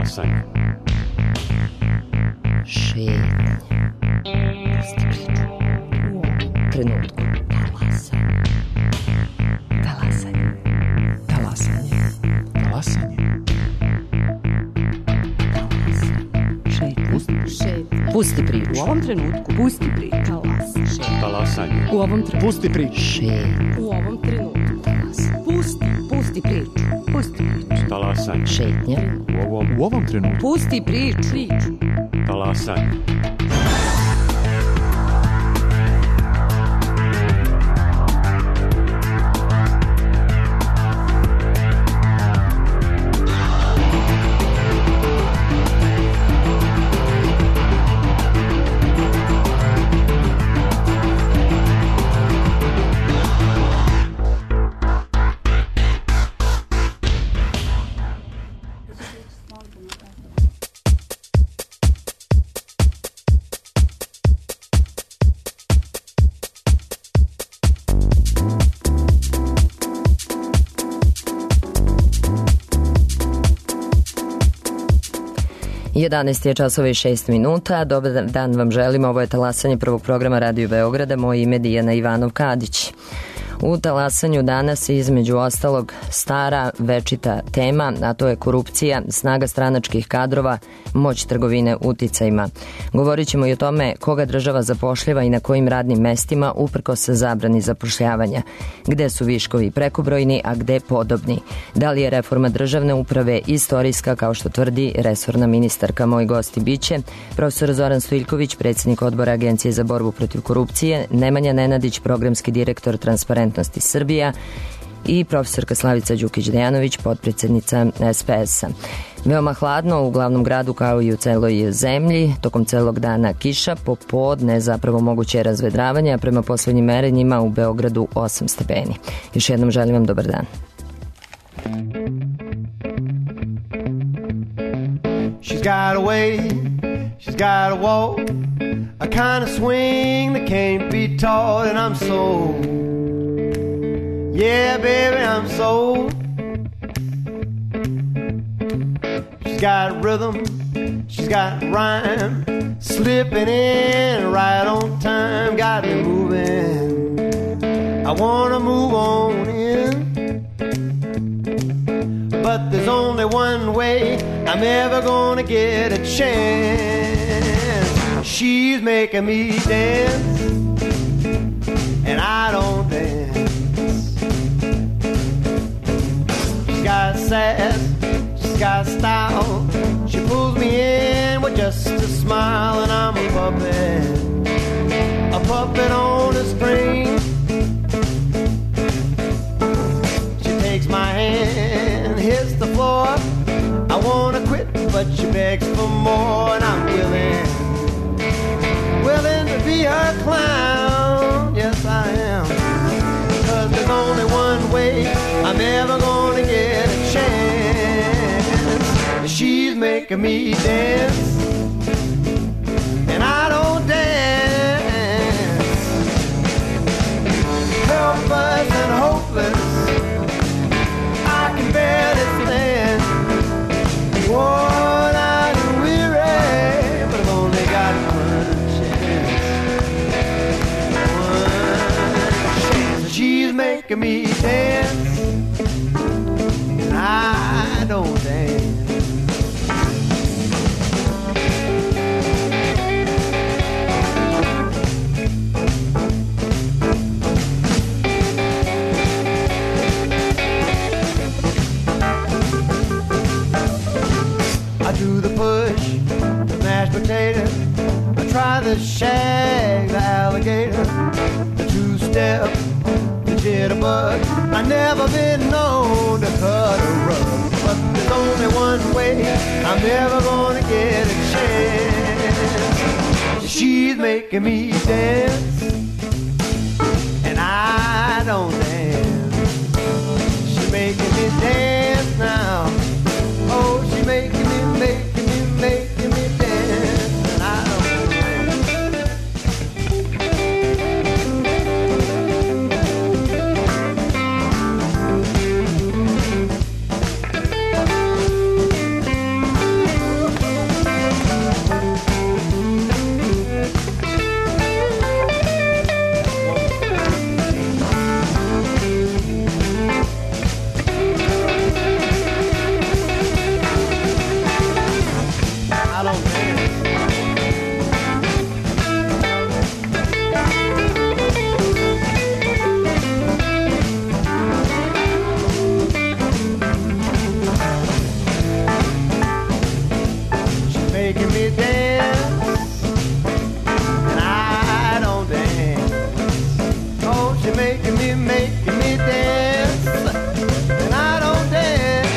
Talasanje. Šetnje. Pusti priču. Trenutku. Talasanje. Talasanje. Talasanje. Pusti priču. U ovom trenutku. Pusti priču. Talasanje. U ovom trenutku. Pusti priču. U ovom trenutku. Pusti priču. Pusti priču. Talasanje. Šetnja. U ovom trenutku. Pusti priču. Talasanje. Jedanaest je časova i 6 minuta. Dobar dan vam želim. Ovo je talasanje prvog programa Radio Beograda. Moje ime je Dijana Ivanov-Kadić. U talasanju danas između ostalog stara večita tema, a to je korupcija, snaga stranačkih kadrova, moć trgovine uticajima. Govorit ćemo i o tome koga država zapošljava i na kojim radnim mestima uprkos zabrani zapošljavanja. Gde su viškovi prekobrojni, a gde podobni? Da li je reforma državne uprave istorijska, kao što tvrdi resorna ministarka? Moj gosti biće profesor Zoran Stojiljković, predsjednik odbora Agencije za borbu protiv korupcije, Nemanja Nenadić, programski direktor Transparentnosti Srbija i profesorka Slavica Đukić-Dejanović, potpredsjednica SPS-a. Veoma hladno u glavnom gradu kao i u celoj zemlji, tokom celog dana kiša, popodne zapravo moguće razvedravanje, a prema poslednjim merenjima u Beogradu 8 stepeni. Još jednom želim vam dobar dan. She's got a way, she's got a walk, a kind of swing that can't be taught, and I'm so, yeah baby, I'm so. She's got rhythm, she's got rhyme, slipping in right on time, got me moving, I wanna move on in. But there's only one way I'm ever gonna get a chance. She's making me dance, and I don't dance. She's got sass, she's got style. She pulls me in with just a smile, and I'm a puppet on a string. She takes my hand, hits the floor. I wanna quit, but she begs for more, and I'm willing to be her clown. Yes, I am. 'Cause there's only one way I'm ever gonna get a chance. She's making me dance, and I don't dance. Helpless and hopeless, I can barely stand. Worn out and weary, but I've only got one chance. One chance. She's making me dance, and I don't dance. I do the push, the mashed potato. I try the shag, the alligator, the two-step, the jitterbug. I never been known to cut a rug, but there's only one way I'm never gonna get a chance. She's making me dance, and I don't dance. She's making me dance now. Oh, she's making me dance, and I don't dance. making me dance, and I don't dance.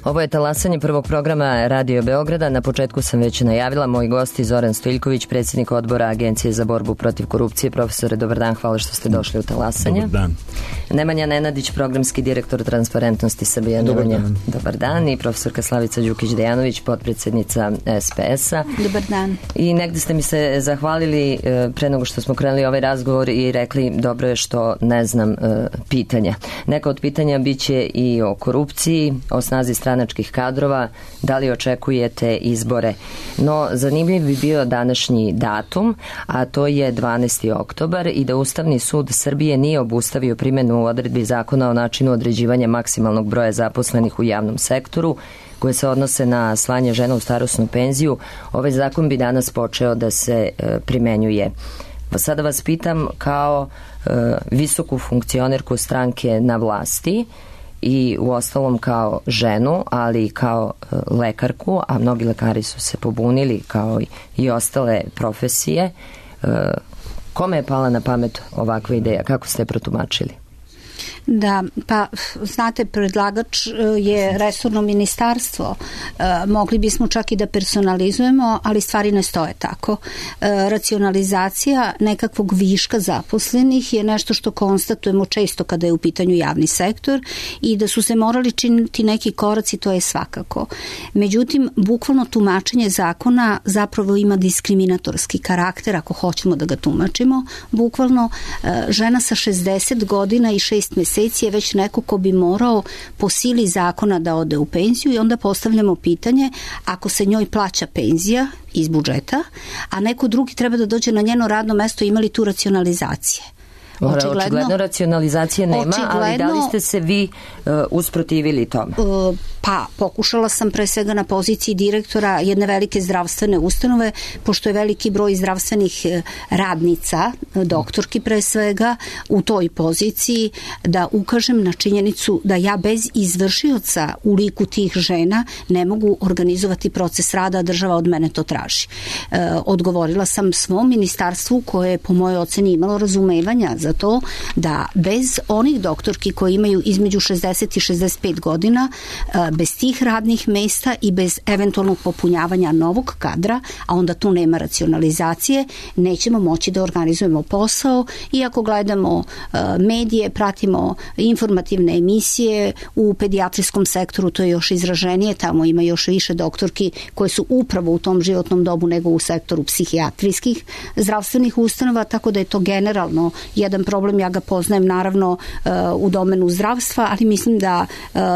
Ovo je talasanje prvog programa Radio Beograda. Na početku sam već najavila, moj gost je Zoran Stojiljković, predsjednik odbora Agencije za borbu protiv korupcije. Profesore, dobar dan, hvala što ste došli u talasanje. Dobar dan. Nemanja Nenadić, programski direktor Transparentnosti Srbije. Dobar dan. Dobar dan. I profesorka Slavica Đukić-Dejanović, potpredsjednica SPS-a. Dobar dan. I negde ste mi se zahvalili pre nego što smo krenuli ovaj razgovor i rekli dobro je što ne znam pitanja. Neka od pitanja biće i o korupciji, o snazi stranačkih kadrova, da li očekujete izbore. No, zanimljiv bi bio današnji datum, a to je 12. oktobar i da Ustavni sud Srbije nije obustavio primjenu odredbi zakona o načinu određivanja maksimalnog broja zaposlenih u javnom sektoru, koje se odnose na slanje žena u starosnu penziju. Ovaj zakon bi danas počeo da se primenjuje. Sada vas pitam kao visoku funkcionerku stranke na vlasti i uostalom kao ženu, ali i kao lekarku, a mnogi lekari su se pobunili kao i ostale profesije. Kome je pala na pamet ovakva ideja? Kako ste je protumačili? Da, pa znate, predlagač je resorno ministarstvo. Mogli bismo čak i da personalizujemo, ali stvari ne stoje tako. Racionalizacija nekakvog viška zaposlenih je nešto što konstatujemo često kada je u pitanju javni sektor i da su se morali činiti neki koraci, to je svakako. Međutim, bukvalno tumačenje zakona zapravo ima diskriminatorski karakter, ako hoćemo da ga tumačimo. Bukvalno žena sa 60 godina i 6 meseci je već neko ko bi morao po sili zakona da ode u penziju i onda postavljamo pitanje, ako se njoj plaća penzija iz budžeta, a neko drugi treba da dođe na njeno radno mesto, ima li tu racionalizacije? Očigledno racionalizacije nema, ali da li ste se vi usprotivili tome? Pa, pokušala sam pre svega na poziciji direktora jedne velike zdravstvene ustanove, pošto je veliki broj zdravstvenih radnica, doktorki pre svega, u toj poziciji, da ukažem na činjenicu da ja bez izvršioca u liku tih žena ne mogu organizovati proces rada, a država od mene to traži. Odgovorila sam svom ministarstvu koje je po mojoj oceni imalo razumevanja za to da bez onih doktorki koji imaju između 60 i 65 godina, bez tih radnih mesta i bez eventualnog popunjavanja novog kadra, a onda tu nema racionalizacije, nećemo moći da organizujemo posao. I ako gledamo medije, pratimo informativne emisije, u pedijatrijskom sektoru to je još izraženije, tamo ima još više doktorki koje su upravo u tom životnom dobu nego u sektoru psihijatrijskih zdravstvenih ustanova, tako da je to generalno jedan problem. Ja ga poznajem naravno u domenu zdravstva, ali mislim da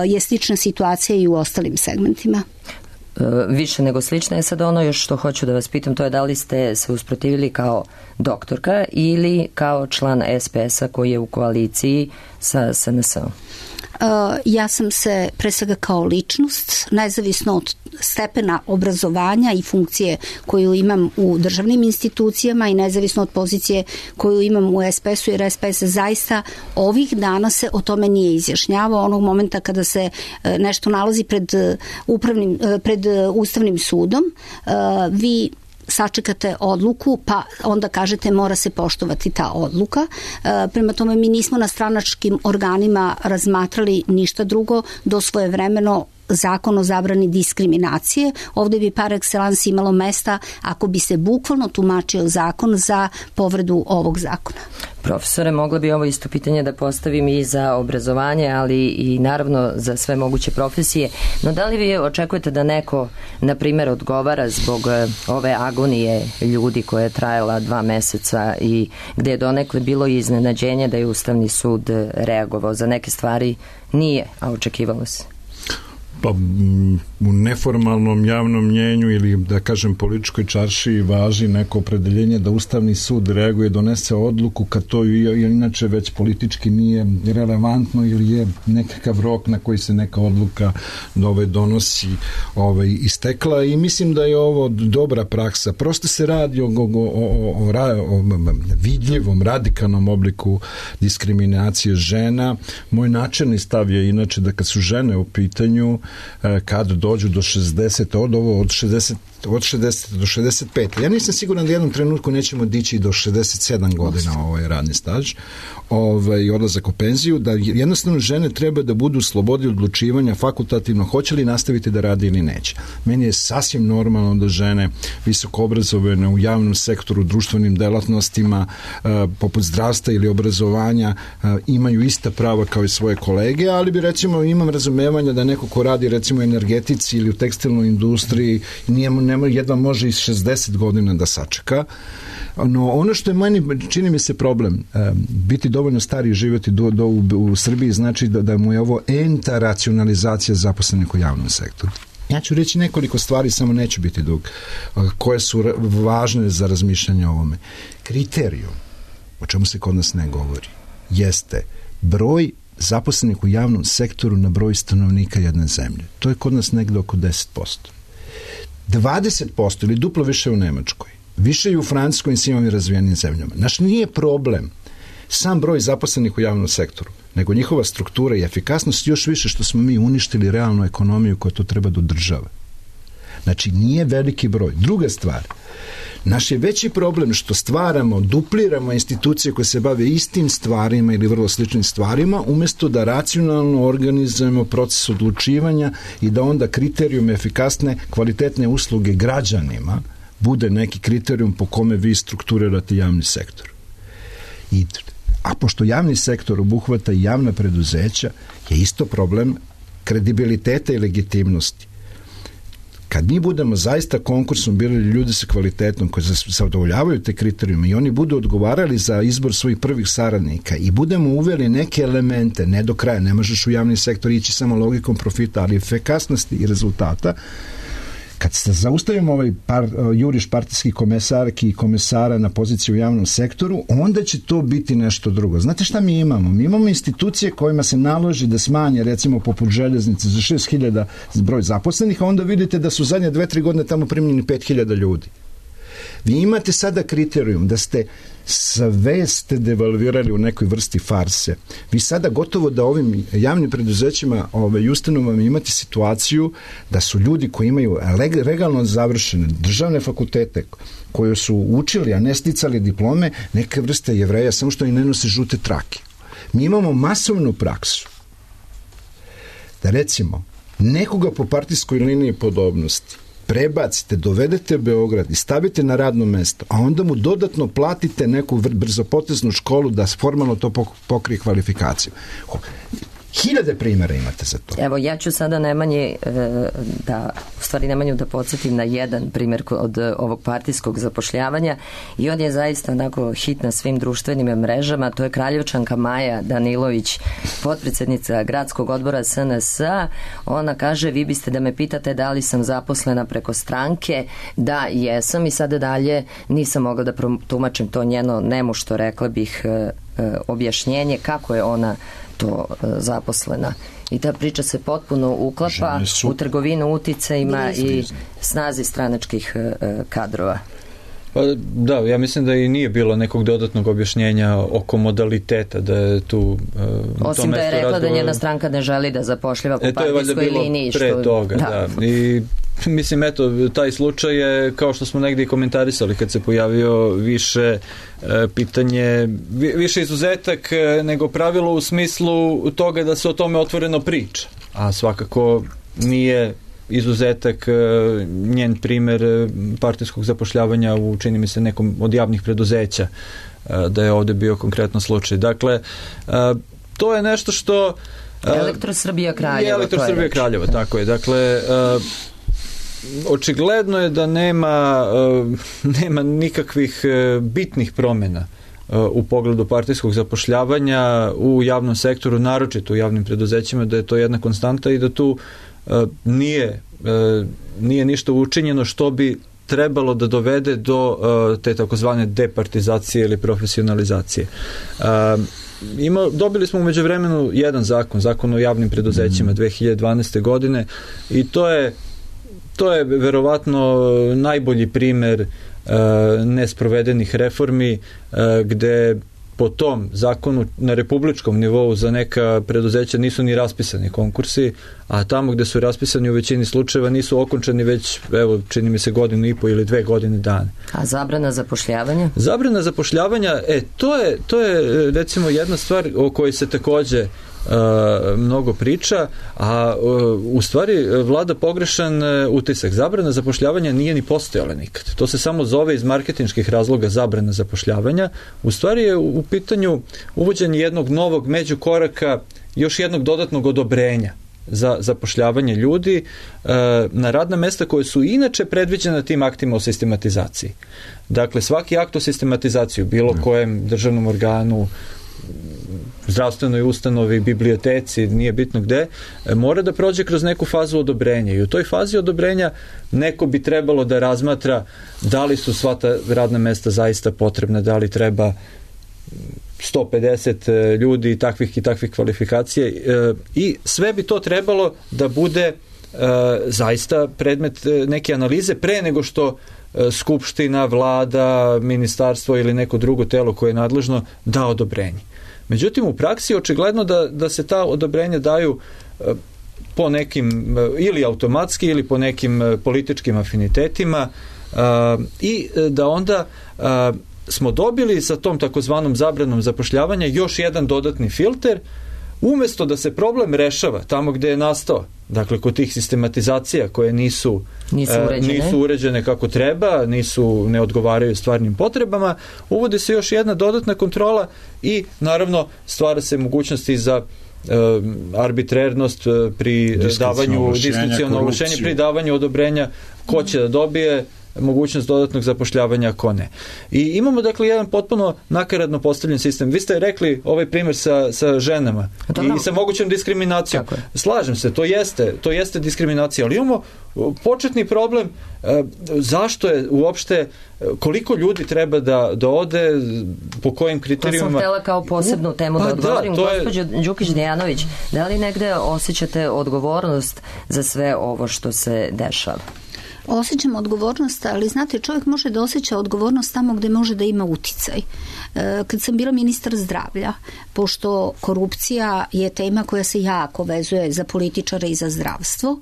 je slična situacija i u ostalim segmentima. Više nego slična je sad ono još što hoću da vas pitam, to je da li ste se usprotivili kao doktorka ili kao član SPS-a koji je u koaliciji sa SNS-om? Ja sam se pre svega kao ličnost, nezavisno od stepena obrazovanja i funkcije koju imam u državnim institucijama i nezavisno od pozicije koju imam u SPS-u, jer SPS zaista ovih dana se o tome nije izjašnjavao. Onog momenta kada se nešto nalazi pred Ustavnim sudom, vi sačekate odluku, pa onda kažete mora se poštovati ta odluka. Prema tome, mi nismo na stranačkim organima razmatrali ništa drugo do svojevremeno zakon o zabrani diskriminacije. Ovde bi par excellence imalo mesta ako bi se bukvalno tumačio zakon za povredu ovog zakona. Profesore, mogla bi ovo isto pitanje da postavim i za obrazovanje, ali i naravno za sve moguće profesije. No da li vi očekujete da neko, na primjer, odgovara zbog ove agonije ljudi koja je trajala 2 meseca i gde je donekle bilo iznenađenje da je Ustavni sud reagovao? Za neke stvari nije, a očekivalo se. Pa u neformalnom javnom mnjenju ili da kažem političkoj čaršiji važi neko opredeljenje da Ustavni sud reaguje, donese odluku kad to inače već politički nije relevantno ili je nekakav rok na koji se neka odluka donosi istekla, i mislim da je ovo dobra praksa. Prosto se radi o vidljivom, radikalnom obliku diskriminacije žena. Moj načelni stav je inače da kad su žene u pitanju, kad dođu do 60, od 60 do 65. Ja nisam siguran da jednom trenutku nećemo dići do 67 godina ovaj radni staž i odlazak u penziju, da jednostavno žene treba da budu u slobodi odlučivanja fakultativno hoće li nastaviti da radi ili neće. Meni je sasvim normalno da žene visoko obrazovane u javnom sektoru, društvenim delatnostima, poput zdravstva ili obrazovanja, imaju ista prava kao i svoje kolege, ali bi recimo imam razumevanja da neko ko radi recimo u energetici ili u tekstilnoj industriji jedva može iz 60 godina da sačeka. No ono što je meni, čini mi se problem, biti dovoljno stari i živjeti u Srbiji znači da mu je ovo enta racionalizacija zaposlenih u javnom sektoru. Ja ću reći nekoliko stvari, samo neću biti dug, koje su važne za razmišljanje o ovome. Kriterijum, o čemu se kod nas ne govori, jeste broj zaposlenih u javnom sektoru na broj stanovnika jedne zemlje. To je kod nas negde oko 10%. 20% ili duplo više u Nemačkoj, više i u Francuskoj i svim razvijenim zemljama. Naš nije problem sam broj zaposlenih u javnom sektoru, nego njihova struktura i efikasnost, još više što smo mi uništili realnu ekonomiju koja to treba da održava. Znači, nije veliki broj. Druga stvar, naš je veći problem što stvaramo, dupliramo institucije koje se bave istim stvarima ili vrlo sličnim stvarima, umjesto da racionalno organizujemo proces odlučivanja i da onda kriterijum efikasne, kvalitetne usluge građanima bude neki kriterijum po kome vi strukturirate javni sektor. A pošto javni sektor obuhvata i javna preduzeća, je isto problem kredibiliteta i legitimnosti. Kad mi budemo zaista konkursom birali ljudi sa kvalitetom koji zadovoljavaju te kriterijume i oni budu odgovarali za izbor svojih prvih saradnika i budemo uveli neke elemente, ne do kraja, ne možeš u javni sektor ići samo logikom profita, ali efikasnosti i rezultata, kad se zaustavimo ovaj juriš partijskih komesarki i komesara na poziciju u javnom sektoru, onda će to biti nešto drugo. Znate šta mi imamo? Mi imamo institucije kojima se naloži da smanje, recimo poput željeznice, za 6.000 broj zaposlenih, a onda vidite da su zadnje 2-3 godine tamo primljeni 5.000 ljudi. Vi imate sada kriterijum da sve ste devalvirali u nekoj vrsti farse. Vi sada gotovo da ovim javnim preduzećima i ustanovama imate situaciju da su ljudi koji imaju legalno završene državne fakultete, koji su učili, a ne sticali diplome, neke vrste Jevreja, samo što i ne nose žute trake. Mi imamo masovnu praksu da recimo nekoga po partijskoj liniji podobnosti prebacite, dovedete Beograd i stavite na radno mesto, a onda mu dodatno platite neku brzopoteznu školu da formalno to pokrije kvalifikaciju. 1000 primjera imate za to. Evo, ja ću sada Nemanju da podsjetim na jedan primjer od ovog partijskog zapošljavanja i on je zaista onako hit na svim društvenim mrežama. To je Kraljevčanka Maja Danilović, potpredsjednica gradskog odbora SNS-a. Ona kaže, vi biste da me pitate da li sam zaposlena preko stranke. Da, jesam i sada dalje nisam mogla da protumačim to njeno nemušto, rekla bih, objašnjenje kako je ona to zaposlena. I ta priča se potpuno uklapa u trgovinu uticajima i snazi stranačkih kadrova. Pa da, ja mislim da i nije bilo nekog dodatnog objašnjenja oko modaliteta, da je tu osim da je rekla da njena stranka ne želi da zapošljiva po partijskoj liniji. Pre toga, da. I mislim, eto, taj slučaj je, kao što smo negdje i komentarisali kad se pojavio, više pitanje, više izuzetak nego pravilo u smislu toga da se o tome otvoreno priča, a svakako nije izuzetak njen primjer partijskog zapošljavanja u, čini mi se, nekom od javnih preduzeća, da je ovdje bio konkretno slučaj. Dakle, to je nešto što Elektrosrbija Kraljevo. Elektrosrbija Kraljevo, tako je. Dakle, očigledno je da nema nikakvih bitnih promjena u pogledu partijskog zapošljavanja u javnom sektoru, naročito u javnim preduzećima, da je to jedna konstanta i da tu nije ništa učinjeno što bi trebalo da dovede do te takozvane departizacije ili profesionalizacije. Dobili smo u međuvremenu jedan zakon o javnim preduzećima 2012. godine i to je verovatno najbolji primjer nesprovedenih reformi gde po tom zakonu na republičkom nivou za neka preduzeća nisu ni raspisani konkursi, a tamo gde su raspisani u većini slučajeva nisu okončani već, evo, čini mi se 1,5 ili 2 godine dana. A zabrana zapošljavanja? Zabrana zapošljavanja, to je recimo jedna stvar o kojoj se takođe mnogo priča, a u stvari vlada pogrešan utisak. Zabrana zapošljavanja nije ni postojala nikad. To se samo zove iz marketinških razloga zabrana zapošljavanja. U stvari je u pitanju uvođenje jednog novog međukoraka, još jednog dodatnog odobrenja za zapošljavanje ljudi na radna mesta koje su inače predviđena tim aktima o sistematizaciji. Dakle, svaki akt o sistematizaciji, bilo kojem državnom organu, zdravstvenoj ustanovi, biblioteci, nije bitno gde, mora da prođe kroz neku fazu odobrenja i u toj fazi odobrenja neko bi trebalo da razmatra da li su sva ta radna mesta zaista potrebna, da li treba 150 ljudi takvih i takvih kvalifikacija i sve bi to trebalo da bude zaista predmet neke analize pre nego što skupština, vlada, ministarstvo ili neko drugo telo koje je nadležno da odobrenje. Međutim, u praksi je očigledno da se ta odobrenja daju po nekim ili automatski ili po nekim političkim afinitetima i da onda smo dobili sa tom takozvanom zabranom zapošljavanja još jedan dodatni filter, umesto da se problem rešava tamo gde je nastao, dakle kod tih sistematizacija koje nisu uređene kako treba, ne odgovaraju stvarnim potrebama, uvodi se još jedna dodatna kontrola i naravno stvara se mogućnosti za arbitrernost pri davanju diskreciono ovlašćenje, pri davanju odobrenja ko će da dobije mogućnost dodatnog zapošljavanja, ako ne. I imamo dakle jedan potpuno nakaradno postavljen sistem. Vi ste rekli ovaj primjer sa ženama i sa mogućom diskriminacijom. Slažem se, to jeste diskriminacija, ali imamo početni problem zašto je uopšte, koliko ljudi treba da ode, po kojim kriterijumima. To sam htjela kao posebnu temu da odgovorim. Gospođo Đukić-Dejanović, da li negde osjećate odgovornost za sve ovo što se dešava? Osjećam odgovornost, ali znate, čovjek može da osjeća odgovornost tamo gde može da ima uticaj. Kad sam bila ministar zdravlja, pošto korupcija je tema koja se jako vezuje za političare i za zdravstvo,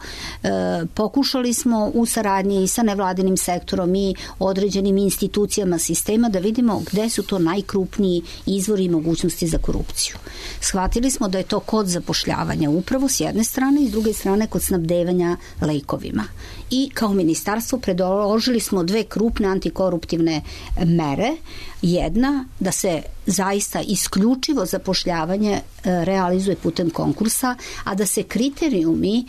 pokušali smo u saradnji i sa nevladinim sektorom i određenim institucijama sistema da vidimo gde su to najkrupniji izvori i mogućnosti za korupciju. Shvatili smo da je to kod zapošljavanja upravo s jedne strane i s druge strane kod snabdevanja lekovima. I kao ministarstvo predložili smo 2 krupne antikoruptivne mere. Jedna, da se zaista isključivo zapošljavanje realizuje putem konkursa, a da se kriterijumi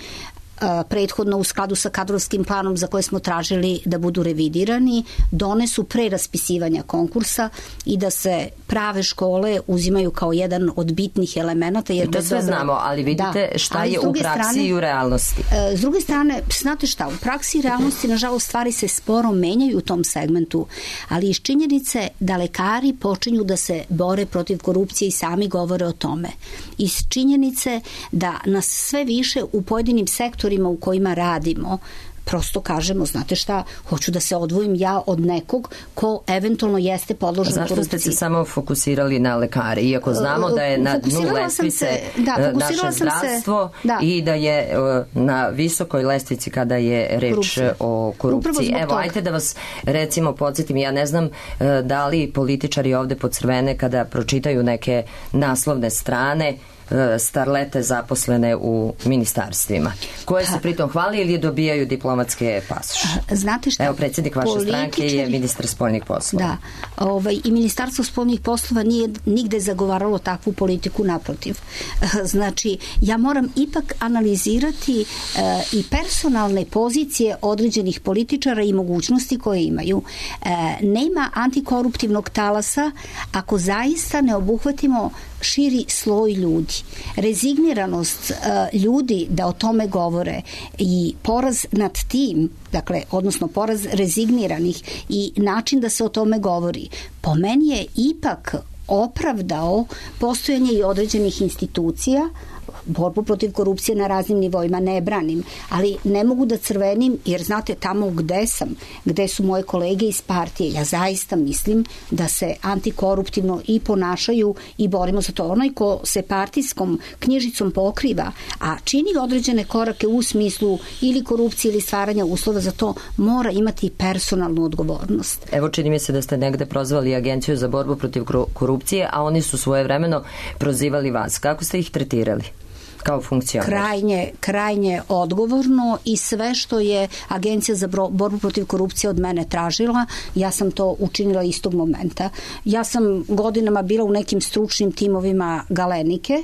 prethodno u skladu sa kadrovskim planom za koje smo tražili da budu revidirani, donesu pre raspisivanja konkursa i da se prave škole uzimaju kao jedan od bitnih elemenata. Jer to sve znamo, ali vidite šta je u praksi i u realnosti. S druge strane, znate šta, u praksi i realnosti nažalost stvari se sporo menjaju u tom segmentu, ali iz činjenice da lekari počinju da se bore protiv korupcije i sami govore o tome. Iz činjenice da nas sve više u pojedinim sektorima u kojima radimo prosto kažemo, znate šta, hoću da se odvojim ja od nekog ko eventualno jeste podložen korupciji. Zašto ste se samo fokusirali na lekare, iako znamo da je na dnu lestvice naše zdravstvo i da je na visokoj lestvici kada je reč o korupciji. Evo, ajte da vas recimo podsjetim, ja ne znam da li političari ovde podsrvene kada pročitaju neke naslovne strane starlete zaposlene u ministarstvima, koje se pritom hvali ili dobijaju diplomatske pasoše. Znate šta? Evo, predsjednik vaše stranke je ministar spoljnih poslova. Da, i Ministarstvo spoljnih poslova nije nigde zagovaralo takvu politiku, naprotiv. Znači, ja moram ipak analizirati i personalne pozicije određenih političara i mogućnosti koje imaju. Nema antikoruptivnog talasa ako zaista ne obuhvatimo širi sloj ljudi. Rezigniranost ljudi da o tome govore i poraz nad tim, dakle, odnosno poraz rezigniranih i način da se o tome govori, po meni je ipak opravdao postojanje i određenih institucija, borbu protiv korupcije na raznim nivoima ne branim, ali ne mogu da crvenim, jer znate, tamo gde su moje kolege iz partije, ja zaista mislim da se antikoruptivno i ponašaju i borimo za to. Onaj ko se partijskom knjižicom pokriva, a čini određene korake u smislu ili korupcije ili stvaranja uslova za to, mora imati personalnu odgovornost. Evo, čini mi se da ste negde prozvali Agenciju za borbu protiv korupcije, a oni su svojevremeno prozivali vas. Kako ste ih tretirali kao funkcioner? Krajnje odgovorno, i sve što je Agencija za borbu protiv korupcije od mene tražila, ja sam to učinila istog momenta. Ja sam godinama bila u nekim stručnim timovima Galenike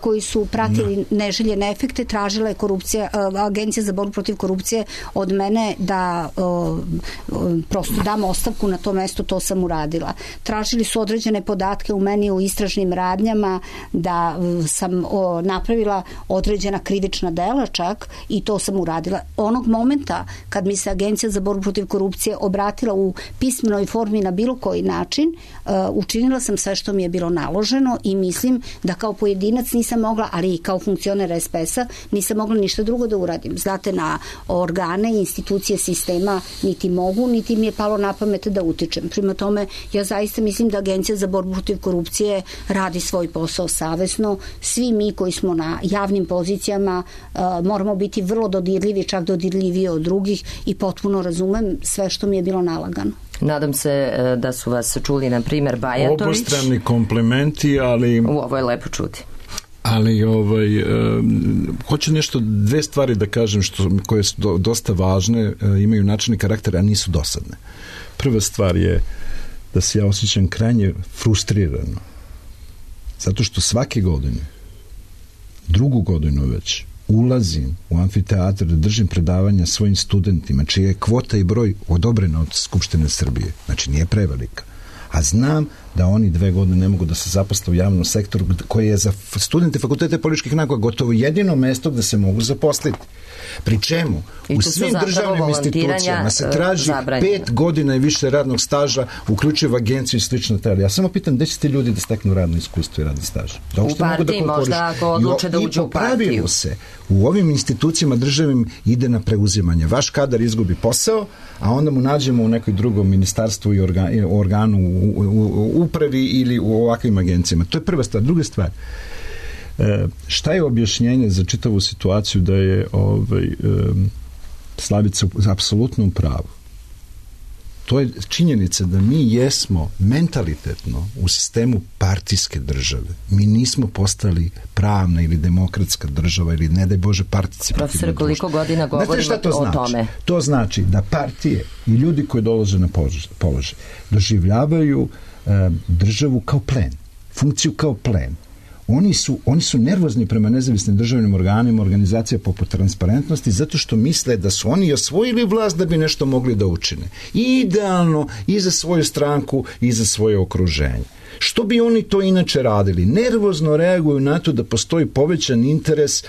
koji su pratili neželjene efekte, tražila je Agencija za borbu protiv korupcije od mene da prosto dam ostavku na to mesto, to sam uradila. Tražili su određene podatke u meni u istražnim radnjama, da sam napravila određena krivična dela čak, i to sam uradila. Onog momenta kad mi se Agencija za borbu protiv korupcije obratila u pismenoj formi na bilo koji način, učinila sam sve što mi je bilo naloženo i mislim da kao pojedinac nisam mogla, ali i kao funkcioner SPS-a nisam mogla ništa drugo da uradim. Znate, na organe, institucije sistema niti mogu, niti mi je palo na pamet da utičem. Prema tome, ja zaista mislim da Agencija za borbu protiv korupcije radi svoj posao savesno. Svi mi koji smo na javnim pozicijama moramo biti vrlo dodirljivi, čak dodirljiviji od drugih, i potpuno razumem sve što mi je bilo nalagano. Nadam se da su vas čuli, na primjer, Bajatović. Obostrani komplimenti, ali... Ovo je lepo čuti. Ali hoću dve stvari da kažem koje su dosta važne, imaju načelni karakter, a nisu dosadne. Prva stvar je da se ja osjećam krajnje frustrirano, zato što svake godine, drugu godinu već, ulazim u amfiteatr da držim predavanja svojim studentima, čija je kvota i broj odobrena od Skupštine Srbije. Znači, nije prevelika. A znam da oni 2 godine ne mogu da se zaposle u javnom sektoru, koje je za studente fakultete političkih nauka gotovo jedino mesto gde se mogu zaposliti. Pri čemu u svim državnim institucijama se traži 5 godina i više radnog staža, uključivo agenciju i slično telo. Ja samo pitam, gde će ti ljudi da steknu radno iskustvo i radni staž? U partiji možda, ako odluče da uđu u partiju. I po pravilu se u ovim institucijama državnim ide na preuzimanje. Vaš kadar izgubi posao, a onda mu nađemo u nekoj drugom ministarstvu i organu u upravi ili u ovakvim agencijama. To je prva stvar. Druga stvar, šta je objašnjenje za čitavu situaciju da je Slavica apsolutno u pravu? To je činjenica da mi jesmo mentalitetno u sistemu partijske države. Mi nismo postali pravna ili demokratska država ili, ne daj Bože, participativna država. Profesor, koliko godina govorimo o tome? To znači da partije i ljudi koji dolaze na položaj doživljavaju državu kao plen, funkciju kao plen. Oni su nervozni prema nezavisnim državnim organima, organizacija poput Transparentnosti, zato što misle da su oni osvojili vlast da bi nešto mogli da učine. I idealno i za svoju stranku i za svoje okruženje. Što bi oni to inače radili? Nervozno reaguju na to da postoji povećan interes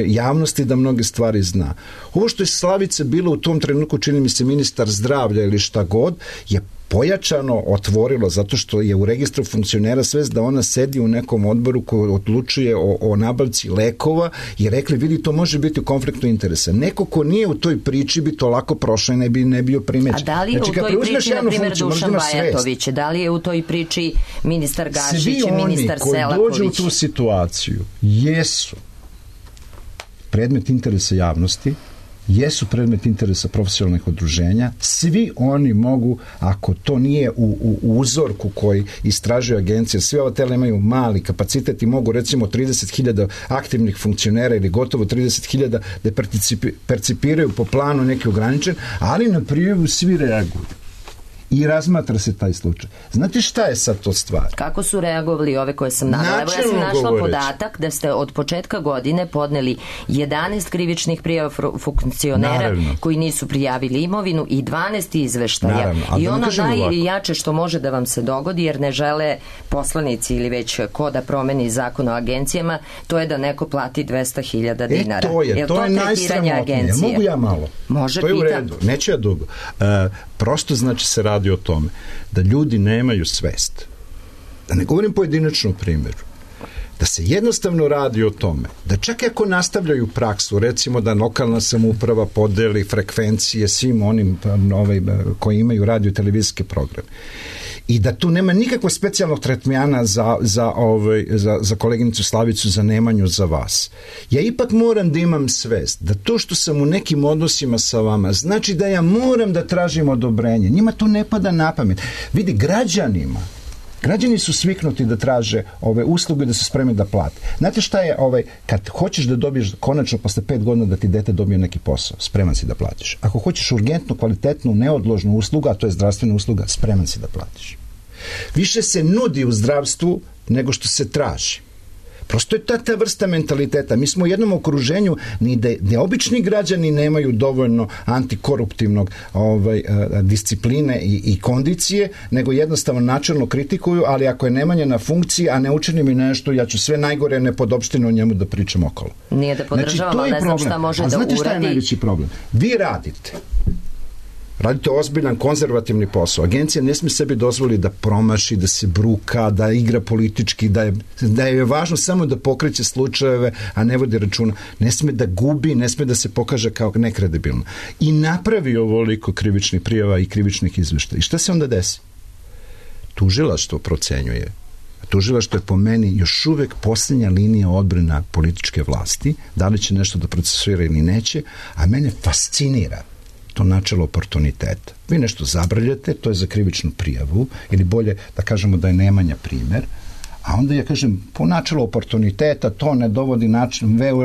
javnosti da mnoge stvari zna. Ovo što je Slavica bilo u tom trenutku, čini mi se, ministar zdravlja ili šta god, je pojačano otvorilo, zato što je u registru funkcionera svest da ona sedi u nekom odboru koji odlučuje o nabavci lekova i rekli, vidi, to može biti u konfliktu interesa. Neko ko nije u toj priči bi to lako prošao i ne bio primećen. A da li je u toj priči, na primjer, Dušan Bajatović? Da li je u toj priči ministar Gašić i ministar Selaković? Svi oni koji dođu u tu situaciju jesu predmet interesa javnosti, jesu predmet interesa profesionalnih udruženja, svi oni mogu, ako to nije u uzorku koji istražuje agencija, svi ova tela imaju mali kapacitet i mogu recimo 30.000 aktivnih funkcionera ili gotovo 30.000 da percipiraju po planu neki ograničen, ali na prijavu svi reaguju. I razmatra se taj slučaj. Znate šta je sad to stvar? Kako su reagovali ove koje sam navela? Evo, ja sam našla podatak da ste od početka godine podneli 11 krivičnih prijava funkcionera koji nisu prijavili imovinu i 12 izveštaja. I ono najjače što može da vam se dogodi, jer ne žele poslanici ili već ko da promeni zakon o agencijama, to je da neko plati 200.000 dinara. To je najsramotnije. Mogu ja malo? Može, to je u redu. Neću ja dugo. Prosto znači se radi o tome da ljudi nemaju svest. Da ne govorim pojedinačnom primjeru. da se jednostavno radi o tome, da čak ako nastavljaju praksu, recimo da lokalna samouprava podeli frekvencije svim onim koji imaju radio i televizijske programe, i da tu nema nikakvog specijalnog tretmana za koleginicu Slavicu, za Nemanju, za vas. Ja ipak moram da imam svest da to što sam u nekim odnosima sa vama znači da ja moram da tražim odobrenje. Njima to ne pada na pamet. Vidi, građani su sviknuti da traže ove usluge, da su spremni da plate. Znate šta je, kad hoćeš da dobiješ konačno posle 5 godina da ti dete dobije neki posao, spreman si da platiš. Ako hoćeš urgentnu, kvalitetnu, neodložnu uslugu, a to je zdravstvena usluga, spreman si da platiš. Više se nudi u zdravstvu nego što se traži. Prosto je ta vrsta mentaliteta. Mi smo u jednom okruženju gde obični građani nemaju dovoljno antikoruptivnog discipline i kondicije, nego jednostavno načelno kritikuju, ali ako je Nemanja na funkciji, a ne učini mi nešto, ja ću sve najgore nepodopštine o njemu da pričam okolo. Nije da podržavamo, ne znam šta može da uradi. A znate šta je najveći problem? Vi radite ozbiljan konzervativni posao. Agencija ne smije sebi dozvoliti da promaši, da se bruka, da igra politički, da je važno samo da pokreće slučajeve, a ne vodi računa. Ne smije da gubi, ne smije da se pokaže kao nekredibilno. I napravi ovoliko krivičnih prijava i krivičnih izveštaja. I šta se onda desi? Tužilaštvo procenjuje. Tužilaštvo je po meni još uvek posljednja linija odbrana političke vlasti. Da li će nešto da procesuira ili neće, a mene fascinira to načelo oportuniteta. Vi nešto zabrljate, to je za krivičnu prijavu, ili bolje da kažemo da je Nemanja primer, a onda ja kažem, po načelu oportuniteta to ne dovodi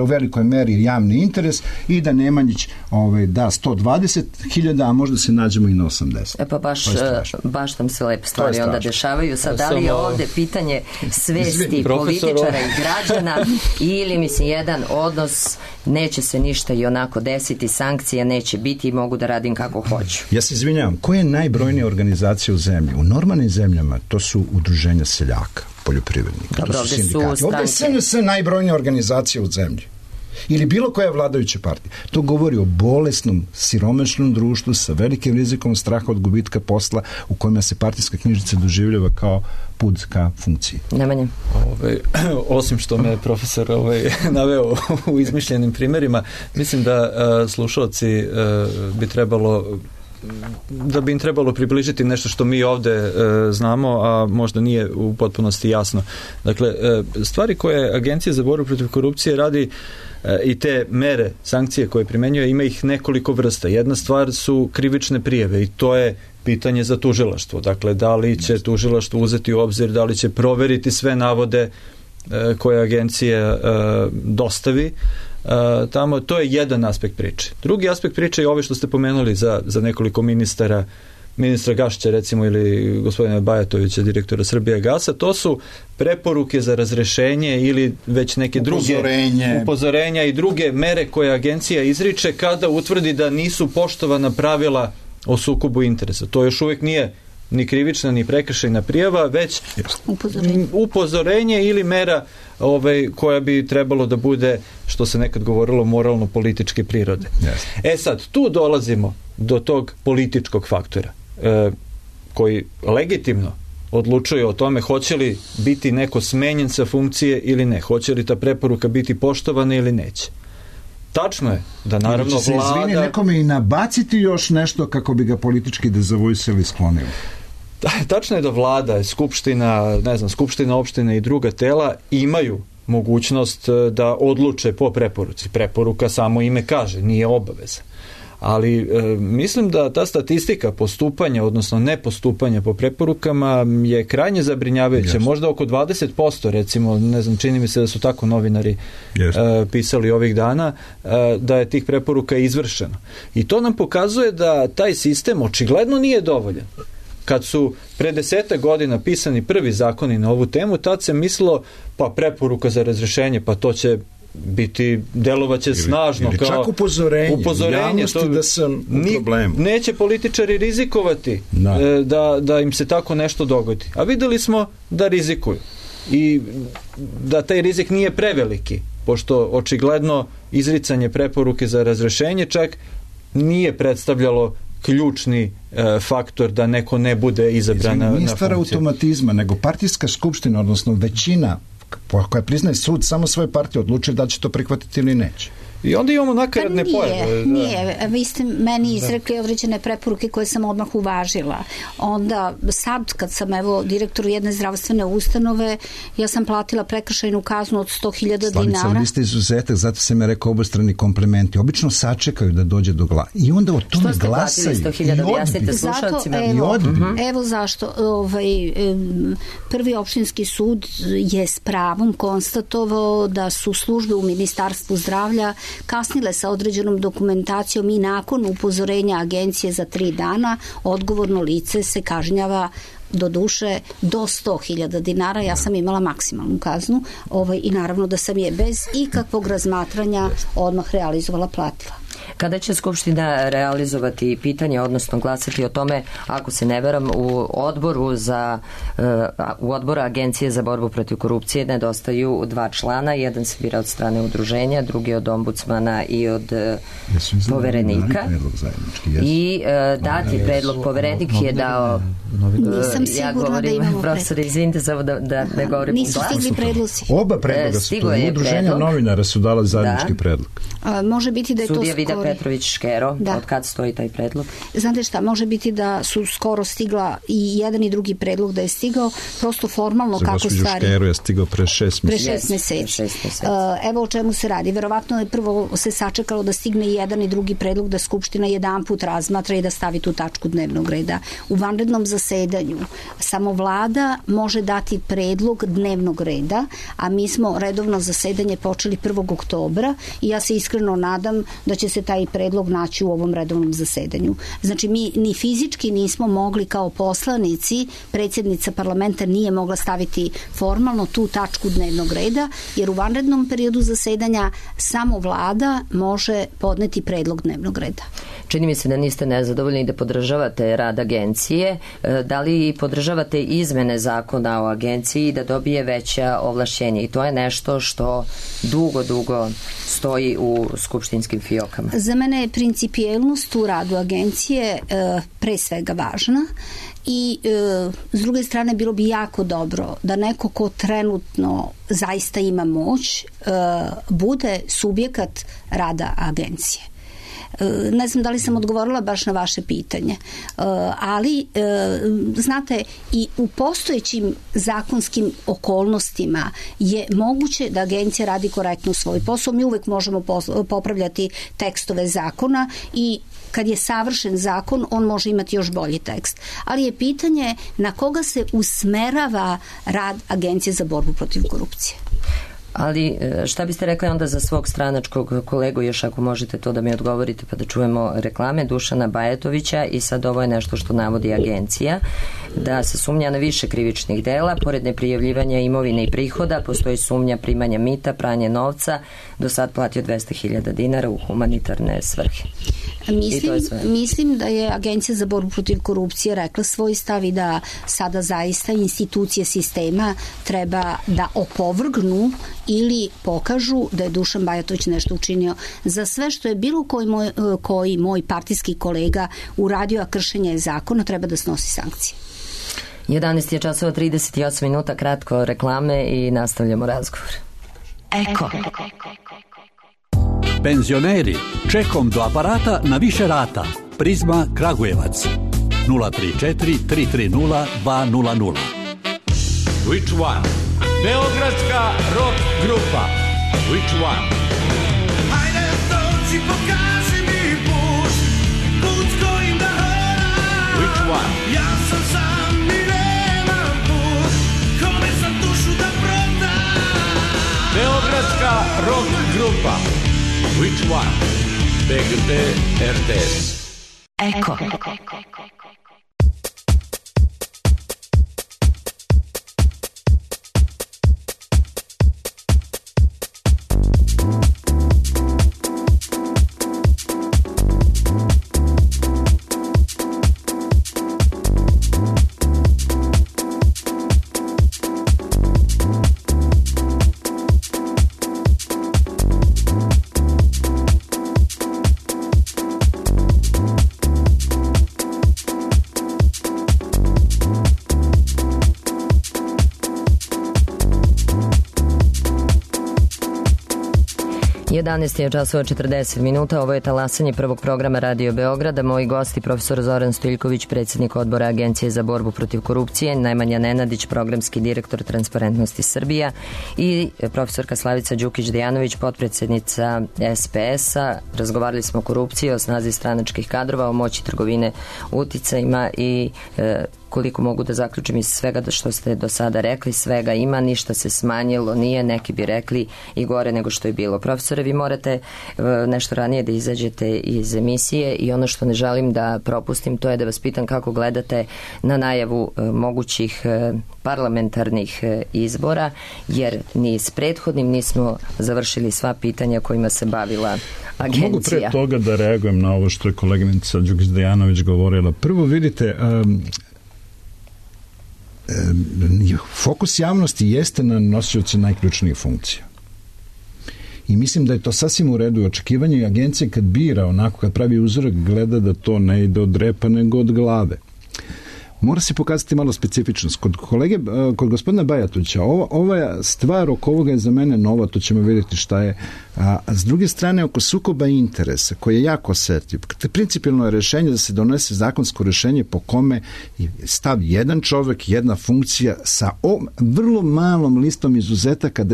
u velikoj meri javni interes i da Nemanjić da 120.000, a možda se nađemo i na 80. Pa baš tam se lepe stvari onda dešavaju. Sad, da li je ovde pitanje svesti političara i građana ili, mislim, jedan odnos, neće se ništa i onako desiti, sankcija neće biti i mogu da radim kako hoću. Ja se izvinjavam, koja je najbrojnija organizacija u zemlji? U normalnim zemljama to su udruženja seljaka, poljoprivrednika. Dobro, to su sindikati. Ovdje je sve najbrojnija organizacija u zemlji. Ili bilo koja vladajuća partija. To govori o bolesnom, siromašnom društvu sa velikim rizikom straha od gubitka posla u kojima se partijska knjižica doživljava kao put ka funkciji. Nemanje. Osim što me profesor naveo u izmišljenim primjerima, mislim da slušalci bi im trebalo približiti nešto što mi ovde znamo, a možda nije u potpunosti jasno. Dakle, stvari koje Agencija za borbu protiv korupcije radi i te mere, sankcije koje primenjuje, ima ih nekoliko vrsta. Jedna stvar su krivične prijave i to je pitanje za tužilaštvo. Dakle, da li će tužilaštvo uzeti u obzir, da li će proveriti sve navode koje agencija dostavi tamo. To je jedan aspekt priče. Drugi aspekt priče je ove što ste pomenuli za nekoliko ministra Gašića recimo ili gospodina Bajatovića, direktora Srbijagasa. To su preporuke za razrešenje ili već neke druge upozorenja i druge mere koje agencija izriče kada utvrdi da nisu poštovana pravila o sukobu interesa. To još uvijek nije ni krivična ni prekršajna prijava, već upozorenje ili mera koja bi trebalo da bude, što se nekad govorilo, moralno-političke prirode. Sad, tu dolazimo do tog političkog faktora koji legitimno odlučuje o tome hoće li biti neko smenjen sa funkcije ili ne, hoće li ta preporuka biti poštovana ili neće. Tačno je da naravno vlada... Izvini, nekome i nabaciti još nešto kako bi ga politički dezavojsili sklonili. Tačno je da vlada, skupština opštine i druga tela imaju mogućnost da odluče po preporuci. Preporuka samo ime kaže, nije obaveza. Ali mislim da ta statistika postupanja, odnosno nepostupanja po preporukama je krajnje zabrinjavajuća. Možda oko 20%, recimo, ne znam, čini mi se da su tako novinari pisali ovih dana, da je tih preporuka izvršeno. I to nam pokazuje da taj sistem očigledno nije dovoljan. Kad su pre 10 godina pisani prvi zakoni na ovu temu, tad se mislilo, pa preporuka za razrešenje, pa to će biti, delovaće snažno ili kao čak upozorenje to, da sam u problemu. Neće političari rizikovati da im se tako nešto dogodi. A videli smo da rizikuju i da taj rizik nije preveliki, pošto očigledno izricanje preporuke za razrešenje čak nije predstavljalo ključni faktor da neko ne bude izabran na funkciju. Nije stvar automatizma, nego partijska skupština, odnosno većina koja priznaje sud samo svoje partije odlučili da će to prihvatiti ili neće. I onda imamo nakaradne pojave. Nije. Vi ste meni izrekli određene preporuke koje sam odmah uvažila. Onda sad kad sam direktor jedne zdravstvene ustanove, ja sam platila prekršajnu kaznu od 100.000 dinara. Slavica, ali vi ste izuzetak, zato sam ja rekao obostrani komplementi. Obično sačekaju da dođe do glasa. I onda o tome glasaju. Što ste platili 100.000, objasnite slušalcima. Evo zašto. Prvi opštinski sud je s pravom konstatovao da su službe u Ministarstvu zdravlja kasnile sa određenom dokumentacijom i nakon upozorenja agencije za 3 dana odgovorno lice se kažnjava do duše do 100.000 dinara. Ja sam imala maksimalnu kaznu i naravno da sam je bez ikakvog razmatranja odmah realizovala, platila. Kada će Skupština realizovati pitanje, odnosno glasati o tome, ako se ne veram, u odboru Agencije za borbu protiv korupcije nedostaju 2 člana, jedan se bira od strane udruženja, drugi od ombudsmana i od poverenika. I dati predlog, poverenik je dao... Nisam sigurna da imamo profesor, izvinite samo da ne govorim. Nisu stigli predlozi. Oba predloga su to. Udruženja novinara su dala zajednički predlog. Može biti da je to skoro. Sudija Vida Petrović Škero, od kad stoji taj predlog? Znate šta, može biti da su skoro stigla i jedan i drugi predlog da je stigao, prosto formalno kako stvari. Za gospođu Škero je stigao pre 6 meseci. Evo o čemu se radi. Verovatno je prvo se sačekalo da stigne i jedan i drugi predlog, da Skupština jedanput razmatra i da stavi tu tačku dnevnog reda. U vanrednom zasedanju samo vlada može dati predlog dnevnog reda, a mi smo redovno zasedanje počeli 1. oktobra i ja se iskreno nadam da će se taj predlog naći u ovom redovnom zasedanju. Znači mi ni fizički nismo mogli kao poslanici, predsjednica parlamenta nije mogla staviti formalno tu tačku dnevnog reda, jer u vanrednom periodu zasedanja samo vlada može podneti predlog dnevnog reda. Čini mi se da niste nezadovoljni i da podržavate rad agencije. Da li podržavate izmene zakona o agenciji da dobije veća ovlašćenja? I to je nešto što dugo stoji u skupštinskim fiokama. Za mene je principijelnost u radu agencije pre svega važna i s druge strane bilo bi jako dobro da neko ko trenutno zaista ima moć bude subjekat rada agencije. Ne znam da li sam odgovorila baš na vaše pitanje, ali znate, i u postojećim zakonskim okolnostima je moguće da agencija radi korektno svoj posao. Mi uvek možemo popravljati tekstove zakona i kad je savršen zakon, on može imati još bolji tekst. Ali je pitanje na koga se usmerava rad Agencije za borbu protiv korupcije. Ali šta biste rekli onda za svog stranačkog kolegu, još ako možete to da mi odgovorite pa da čujemo reklame, Dušana Bajatovića, i sad ovo je nešto što navodi agencija, da se sumnja na više krivičnih dela, pored neprijavljivanja imovine i prihoda, postoji sumnja primanja mita, pranje novca, do sad platio 200.000 dinara u humanitarne svrhe. Mislim da je Agencija za borbu protiv korupcije rekla svoj stav i da sada zaista institucije sistema treba da opovrgnu ili pokažu da je Dušan Bajatović nešto učinio. Za sve što je bilo koji moj partijski kolega uradio, a kršenje je zakona, treba da snosi sankcije. 11:38, kratko reklame i nastavljamo razgovor. Eko. Penzioneri, čekom do aparata na više rata. Prizma Kragujevac 034 330 200. Which one? Beogradska rock grupa. Which one? Hajde dođi, pokaži mi put s kojim da hodam. Which one? Ja sam sam i nemam put, kome sam dušu da prodam. Beogradska rock grupa. Which one? BGT RTS. Eko. 11 je časova 40 minuta, ovo je talasanje prvog programa Radio Beograda. Moji gosti, profesor Zoran Stojiljković, predsjednik odbora Agencije za borbu protiv korupcije, Nemanja Nenadić, programski direktor Transparentnosti Srbija i profesorka Slavica Đukić-Dejanović, potpredsjednica SPS-a. Razgovarali smo o korupciji, o snazi stranačkih kadrova, o moći trgovine uticajima i koliko mogu da zaključim iz svega što ste do sada rekli, svega ima, ništa se smanjilo, nije, neki bi rekli i gore nego što je bilo. Profesore, vi morate nešto ranije da izađete iz emisije i ono što ne želim da propustim, to je da vas pitam kako gledate na najavu mogućih parlamentarnih izbora, jer ni s prethodnim nismo završili sva pitanja kojima se bavila agencija. Mogu pre toga da reagujem na ovo što je koleginica Đukić-Dejanović govorila. Prvo vidite, fokus javnosti jeste na nosioci najključnijih funkcija. I mislim da je to sasvim u redu očekivanje i agencija kad bira, onako kad pravi uzorak, gleda da to ne ide od repa nego od glave. Mora se pokazati malo specifičnost. Kod gospodina Bajatovića, ova stvar oko ovoga je za mene nova, to ćemo vidjeti šta je. A s druge strane, oko sukoba interesa, koji je jako osjetljiv, principijelno je rješenje da se donese zakonsko rješenje po kome stav jedan čovjek, jedna funkcija sa vrlo malom listom izuzetaka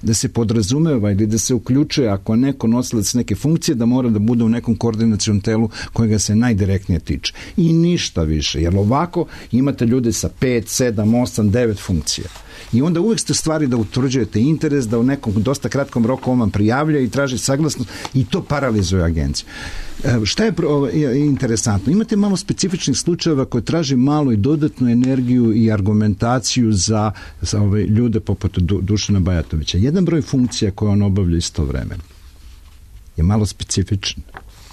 da se podrazumeva ili da se uključuje ako neko nosilac neke funkcije da mora da bude u nekom koordinacionom telu kojega se najdirektnije tiče. I ništa više, jer ovako imate ljude sa 5, 7, 8, 9 funkcija. I onda uvijek ste stvari da utvrđujete interes, da u nekom dosta kratkom roku on vam prijavlja i traži saglasnost i to paralizuje agenciju. Šta je interesantno? Imate malo specifičnih slučajeva koji traži malo i dodatnu energiju i argumentaciju za ove ljude poput Dušana Bajatovića. Jedan broj funkcija koje on obavlja istovremeno je malo specifičan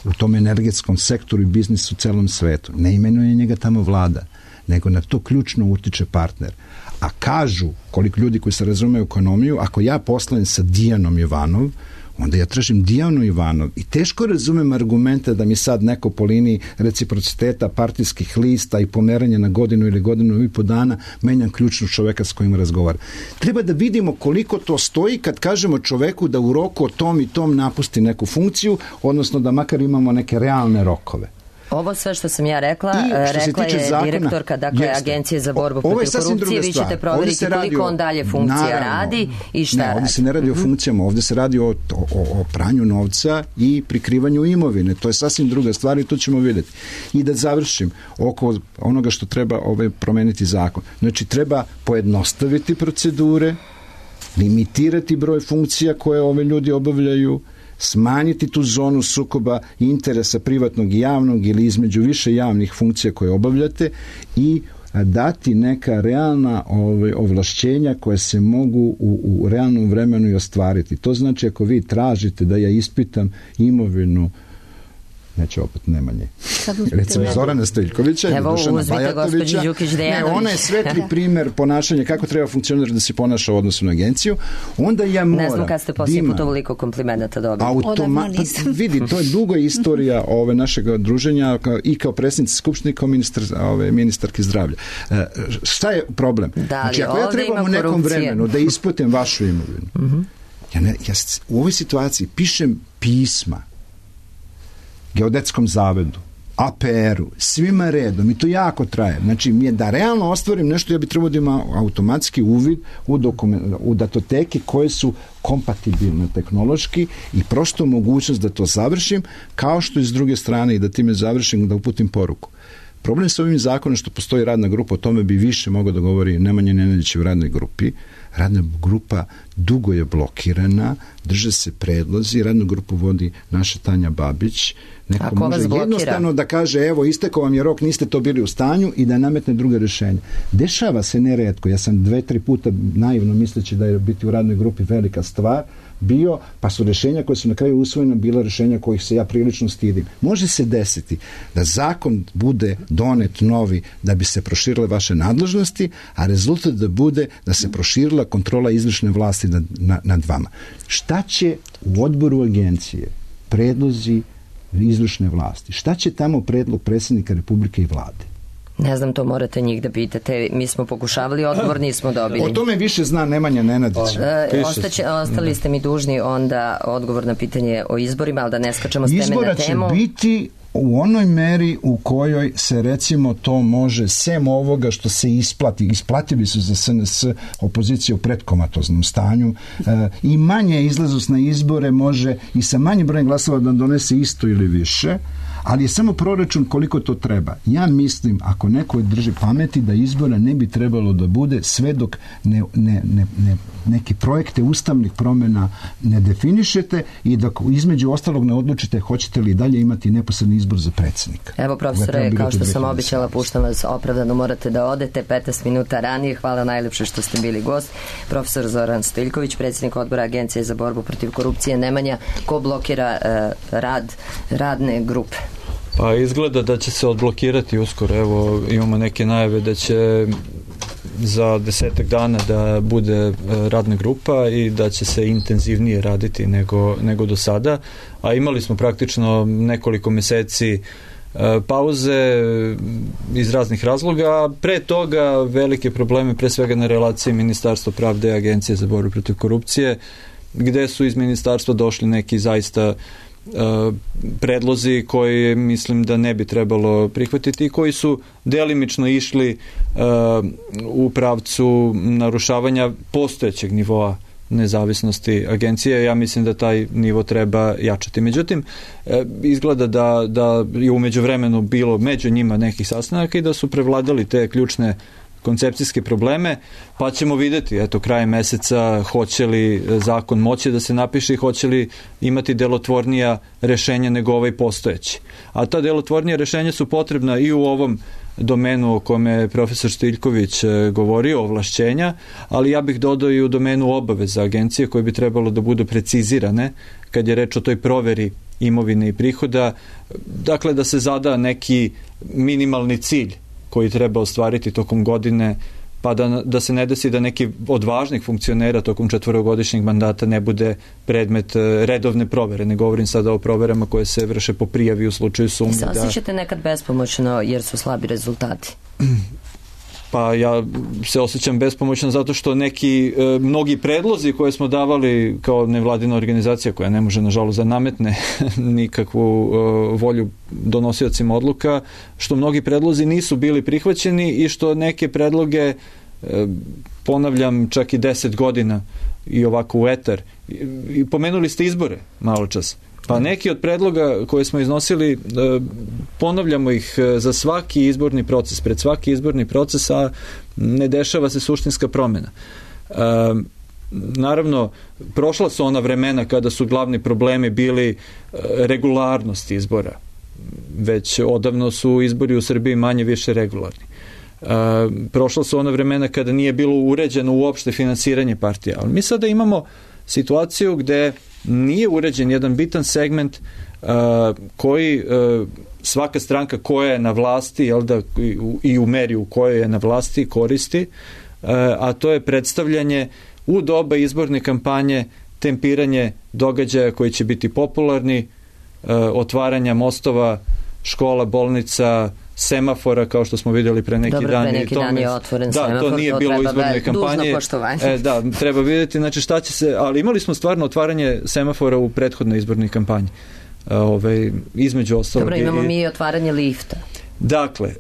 u tom energetskom sektoru i biznisu u celom svetu. Ne imenuje njega tamo vlada, nego na to ključno utiče partner. A kažu, koliko ljudi koji se razumeju ekonomiju, ako ja poslujem sa Dijanom Ivanov, onda ja tražim Dijanu Ivanov i teško razumem argumente da mi sad neko po liniji reciprociteta partijskih lista i pomeranja na godinu ili godinu i po dana menjam ključnog čoveka s kojim razgovara. Treba da vidimo koliko to stoji kad kažemo čoveku da u roku o tom i tom napusti neku funkciju, odnosno da makar imamo neke realne rokove. Ovo sve što sam ja rekla, rekla je zakona, direktorka Agencije za borbu protiv korupcije, vi ćete provjeriti koliko on dalje funkcija radi i šta radi. Ovdje se ne radi o funkcijama, ovdje se radi o pranju novca i prikrivanju imovine. To je sasvim druga stvar i to ćemo vidjeti. I da završim oko onoga što treba promeniti zakon. Znači, treba pojednostaviti procedure, limitirati broj funkcija koje ove ljudi obavljaju, smanjiti tu zonu sukoba interesa privatnog i javnog ili između više javnih funkcija koje obavljate i dati neka realna ovlašćenja koje se mogu u realnom vremenu i ostvariti. To znači ako vi tražite da ja ispitam imovinu, neće opet Nemanje. Recimo Zorana Stojiljkovića ili Dušana Bajatovića. Ne, ona je svetli primjer ponašanja kako treba funkcionirati da se ponaša u odnosu na agenciju. Onda ja moram... Ne znam kada ste poslije puta toliko komplimenata dobili. Vidi, to je duga istorija našeg druženja i kao predsjednica Skupštine, kao ministarke zdravlja. Šta je problem? Znači, ako ja trebam u nekom vremenu da isplatim vašu imovinu, ja u ovoj situaciji pišem pisma Geodetskom zavodu, APR-u, svima redom i to jako traje. Znači, da realno ostvarim nešto, ja bi trebao da imam automatski uvid u datoteke koje su kompatibilne tehnološki i prosto mogućnost da to završim, kao što i s druge strane i da time završim, da uputim poruku. Problem s ovim zakonom što postoji radna grupa, o tome bi više mogao da govori Nemanja Nenadić u radnoj grupi. Radna grupa dugo je blokirana, drže se predlozi, radnu grupu vodi naša Tanja Babić. Neko može jednostavno da kaže, evo, istekao vam je rok, niste to bili u stanju i da nametne druge rješenje. Dešava se neretko, ja sam 2-3 puta naivno misleći da je biti u radnoj grupi velika stvar, pa su rješenja koje su na kraju usvojena bila rješenja kojih se ja prilično stidim. Može se desiti da zakon bude donet novi da bi se proširile vaše nadležnosti, a rezultat da bude da se proširila kontrola izvršne vlasti nad vama. Šta će u odboru agencije predlozi izvršne vlasti? Šta će tamo predlog predsjednika Republike i vlade? Ne znam, to morate njih da pitate. Mi smo pokušavali, odgovor nismo dobili. O tome više zna Nemanja Nenadić. Ostali ste mi dužni onda odgovor na pitanje o izborima, ali da ne skačemo s teme na temu. Izbora će biti u onoj meri u kojoj se recimo to može, sem ovoga što se isplatili su za SNS opozicije u predkomatoznom stanju, i manje izlaznost na izbore može i sa manjim brojem glasova da donese isto ili više, ali je samo proračun koliko to treba. Ja mislim, ako neko drži pameti, da izbora ne bi trebalo da bude sve dok neke projekte ustavnih promjena ne definišete i dok između ostalog ne odlučite hoćete li dalje imati neposredni izbor za predsjednika. Evo, profesore, kao što sam običala, puštam vas, opravdano morate da odete 15 minuta ranije. Hvala najlepše što ste bili gost. Profesor Zoran Stojiljković, predsjednik odbora Agencije za borbu protiv korupcije. Nemanja, ko blokira rad radne grupe? Pa izgleda da će se odblokirati uskoro. Evo, imamo neke najave da će za 10 dana da bude radna grupa i da će se intenzivnije raditi nego do sada. A imali smo praktično nekoliko meseci pauze iz raznih razloga. Pre toga velike probleme, pre svega na relaciji Ministarstva pravde i Agencije za borbu protiv korupcije, gde su iz ministarstva došli neki zaista predlozi koji mislim da ne bi trebalo prihvatiti i koji su delimično išli u pravcu narušavanja postojećeg nivoa nezavisnosti agencije. Ja mislim da taj nivo treba jačati. Međutim, izgleda da je umeđu vremenu bilo među njima nekih sastanaka i da su prevladali te ključne koncepcijske probleme, pa ćemo vidjeti, eto, krajem meseca hoće li zakon moći da se napiše i hoće li imati delotvornija rešenja nego ovaj postojeći. A ta delotvornija rešenja su potrebna i u ovom domenu o kome je profesor Stojiljković govorio, ovlašćenja, ali ja bih dodao i u domenu obaveza agencije koje bi trebalo da budu precizirane kad je reč o toj proveri imovine i prihoda, dakle da se zada neki minimalni cilj koji treba ostvariti tokom godine, pa da se ne desi da neki od važnih funkcionera tokom 4-godišnjeg mandata ne bude predmet redovne provere. Ne govorim sada o proverama koje se vrše po prijavi u slučaju sumnje. Se osjećate nekad bespomoćno jer su slabi rezultati? Pa ja se osjećam bespomoćno zato što mnogi predlozi koje smo davali kao nevladina organizacija koja ne može nažalost da nametne nikakvu volju donosiocima odluka, što mnogi predlozi nisu bili prihvaćeni i što neke predloge, ponavljam, čak i 10 godina i ovako u etar. I pomenuli ste izbore malo čas. Pa neki od predloga koje smo iznosili, ponavljamo ih za svaki izborni proces, pred svaki izborni proces, a ne dešava se suštinska promjena. Naravno, prošla su ona vremena kada su glavni problemi bili regularnost izbora. Već odavno su izbori u Srbiji manje više regularni. Prošla su ona vremena kada nije bilo uređeno uopšte finansiranje partija. Ali mi sada imamo situaciju gde nije uređen jedan bitan segment koji svaka stranka koja je na vlasti, jel da, i u meri u kojoj je na vlasti koristi, a to je predstavljanje u doba izborne kampanje, tempiranje događaja koji će biti popularni, otvaranja mostova, škola, bolnica, semafora, kao što smo vidjeli pre neki dan. Dobro, pre neki dan je otvoren semafor, to nije bilo u izbornoj kampanji. Dužno poštovanje. Da, treba vidjeti, znači šta će se, ali imali smo stvarno otvaranje semafora u prethodnoj izbornoj kampanji. Između ostalog. Dobro, imamo mi i otvaranje lifta. Dakle,